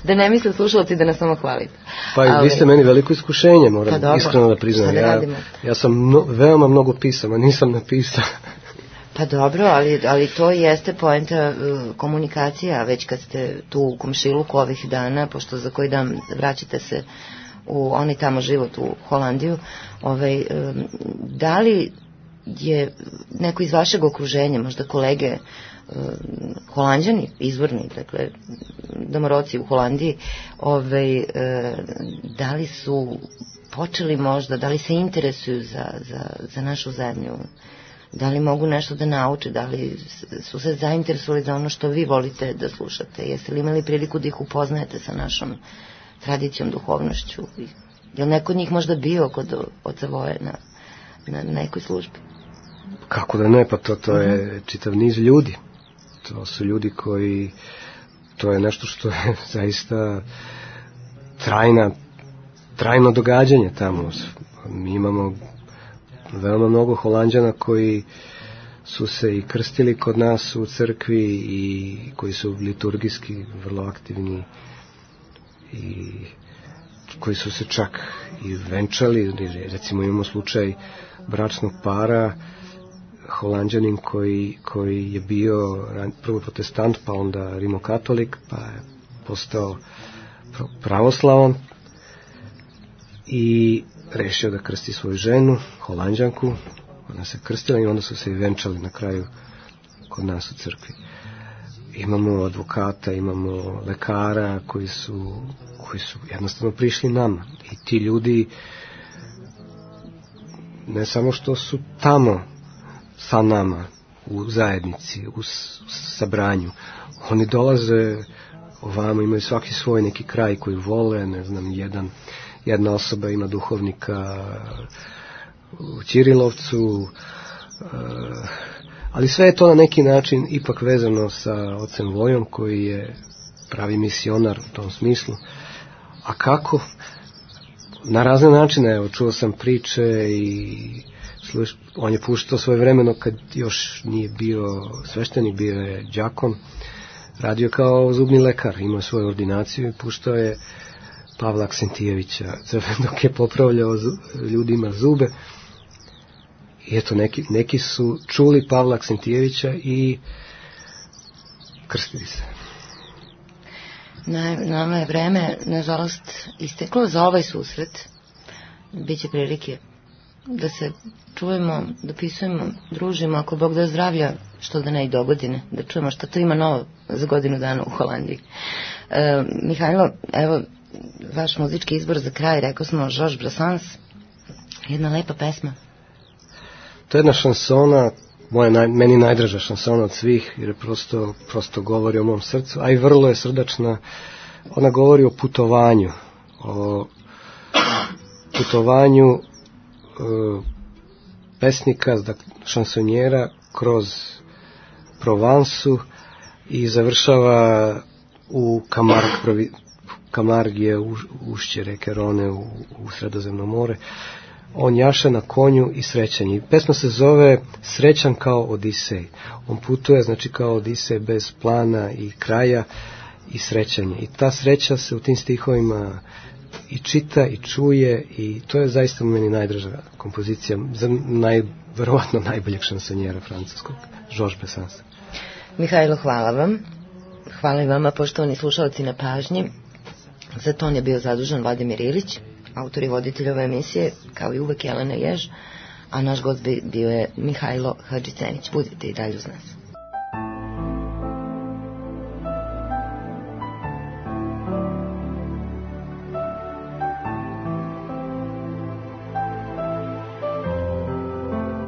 da ne misle slušalci da nas samo hvalite. Pa i vi ste meni veliko iskušenje, moram pa dobro, iskreno da priznam. Ja, ja sam mno, veoma mnogo pisama, nisam napisao. Pa dobro, ali, ali to jeste poenta uh, komunikacija, već kad ste tu u komšiluku ovih dana, pošto za koji dan vraćate se u onaj tamo život u Holandiju, ovaj, um, da li je neko iz vašeg okruženja, možda kolege um, Holanđani, izvorni, dakle, domoroci u Holandiji, ovaj, um, da li su počeli možda, da li se interesuju za, za, za našu zemlju, da li mogu nešto da nauče, da li su se zainteresovali za ono što vi volite da slušate, jeste li imali priliku da ih upoznajete sa našom tradicijom, duhovnošću? Je li neko od njih možda bio kod oca Voje na, na nekoj službi? Kako da ne, pa to, to je čitav niz ljudi. To su ljudi koji, to je nešto što je zaista trajna, trajno događanje tamo. Mi imamo veoma mnogo Holanđana koji su se i krstili kod nas u crkvi i koji su liturgijski vrlo aktivni i koji su se čak i venčali. Recimo imamo slučaj bračnog para, Holanđanin koji, koji je bio prvo protestant, pa onda rimokatolik, pa je postao pravoslavan i rešio da krsti svoju ženu, Holanđanku. Ona se krstila i onda su se i venčali na kraju kod nas u crkvi. Imamo advokata, imamo lekara koji su, koji su jednostavno prišli nama. I ti ljudi ne samo što su tamo sa nama u zajednici, u sabranju, oni dolaze ovamo, imaju svaki svoj neki kraj koji vole, ne znam, jedan jedna osoba ima duhovnika u Ćirilovcu, ali sve je to na neki način ipak vezano sa ocem Vojom koji je pravi misionar u tom smislu. A kako? Na razne načine, evo, čuo sam priče i sluš, on je puštao svoje vremeno kad još nije bio sveštenik, bio je đakon, radio kao zubni lekar, imao svoju ordinaciju i puštao je Pavla Aksentijevića dok je popravljao ljudima zube. I eto, neki, neki su čuli Pavla Aksentijevića i krstili se. Na, nama je vreme, nažalost, isteklo za ovaj susret. Biće prilike da se čujemo, dopisujemo, družimo, ako Bog da zdravlja, što da ne i do godine, da čujemo šta to ima novo za godinu dana u Holandiji. E, Mihajlo, evo, vaš muzički izbor za kraj, rekao smo Georges Brassens, jedna lepa pesma. To je jedna šansona, moja naj, meni najdraža šansona od svih, jer prosto, prosto govori o mom srcu, a i vrlo je srdačna. Ona govori o putovanju, o putovanju e, pesnika, šansonjera kroz Provansu i završava u Camargue, Camargue je u, ušće reke Rone u, u Sredozemno more. On jaše na konju i srećan je. Pesma se zove Srećan kao Odisej. On putuje, znači kao Odisej, bez plana i kraja i srećan je. I ta sreća se u tim stihovima i čita i čuje i to je zaista meni najdraža kompozicija za naj, verovatno najboljeg šansonjera francuskog, Georges Brassens. Mihajlo, hvala vam. Hvala i vama, poštovani slušalci, na pažnji. Za ton je bio zadužen Vladimir Ilić, autor i voditelj ove emisije, kao i uvek Jelena Jež, a naš gost bio je Mihajlo Hadžicenić. Budite i dalje uz nas.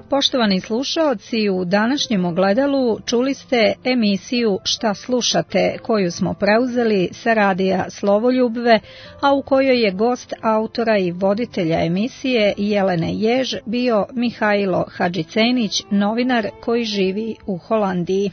Poštovani slušaoci, u današnjem ogledalu čuli ste emisiju Šta slušate, koju smo preuzeli sa radija Slovoljubve, a u kojoj je gost autora i voditelja emisije Jelene Jež bio Mihajlo Hadžicenić, novinar koji živi u Holandiji.